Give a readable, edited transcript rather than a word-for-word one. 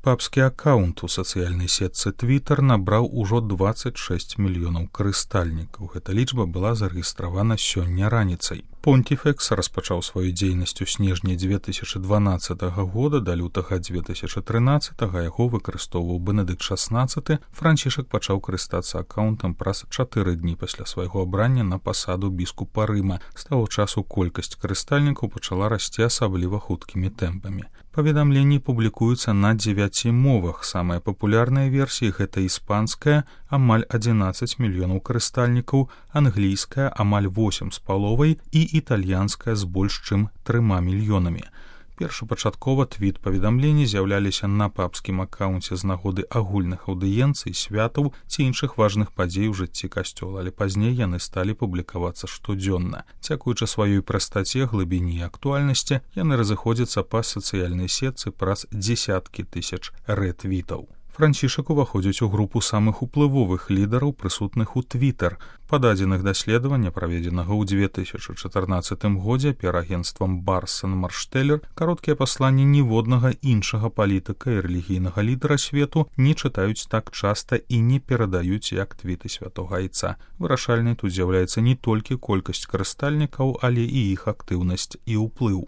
папскі аккаунт у сацыяльнай сетцы Twitter набраў ужо 26 мільёнаў карыстальнікаў. Гэта лічба была зарэгістравана сёння раніцай. Понтифекс распачаў сваю дзейнасць у снежні 2012 года да лютага 2013, яго выкарыстоўваў Бенедыкт XVI. Францішак пачаў карыстацца аккаунтам праз 4 дні пасля свайго абрання на пасаду біскупа Рыма. З таго часу колькасць карыстальнікаў пачала расці асабліва хуткімі тэмпамі. Паведамленні публікуюцца на 9 мовах. Самыя папулярныя версіі гэта іспанская, амаль 11 мільёнаў карыстальнікаў, англійская, амаль 8,5 і італьянская з больш чым 3 мільёнамі. Першапачаткова твіт-паведамленні з'яўляліся на папскім аккаунце з нагоды агульных аўдыенцый, святаў ці іншых важных падзей у жыцці касцёла, але пазней яны сталі публікавацца штодзённа. Дзякуючы сваёй прастаце, глыбіні і актуальнасці, яны разыходзяцца па сацыяльнай сетцы праз дзесяткі тысяч рэт-твітаў. Францішак уваходзіць у групу самых уплывовых лідараў, прысутных у Twitter. Па дадзеных даследавання, праведзенага ў 2014 годзе піарагенцтвам Барсон Марштеллер, кароткія пасланні ніводнага іншага палітыка і рэлігійнага лідара свету не чытаюць так часта і не перадаюць як твіты святога айца. Вырашальнай тут з'яўляецца не толькі колькасць карыстальнікаў, але і іх актыўнасць і ўплыў.